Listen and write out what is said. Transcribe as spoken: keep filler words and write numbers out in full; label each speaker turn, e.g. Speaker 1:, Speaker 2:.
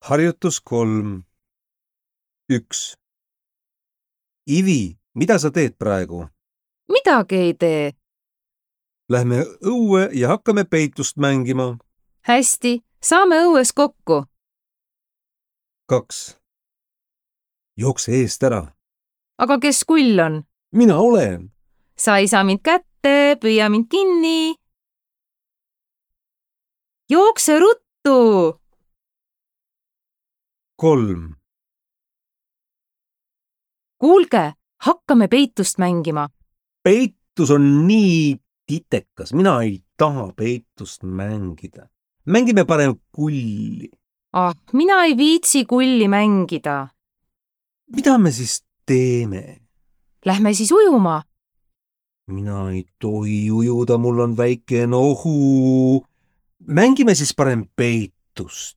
Speaker 1: Harjutus kolm. Üks. Ivi, mida sa teed praegu?
Speaker 2: Midagi ei tee.
Speaker 1: Lähme õue ja hakkame peitust mängima.
Speaker 2: Hästi, saame õues kokku.
Speaker 1: Kaks. Jookse eest ära.
Speaker 2: Aga kes kull on?
Speaker 1: Mina olen.
Speaker 2: Sa ei saa mind kätte, püüa mind kinni. Jookse ruttu!
Speaker 1: Kolm.
Speaker 2: Kuulge, hakkame peitust mängima.
Speaker 1: Peitus on nii titekas. Mina ei taha peitust mängida. Mängime parem kulli.
Speaker 2: Ah, mina ei viitsi kulli mängida.
Speaker 1: Mida me siis teeme?
Speaker 2: Lähme siis ujuma.
Speaker 1: Mina ei tohi ujuda, mul on väike nohu. Mängime siis parem peitust.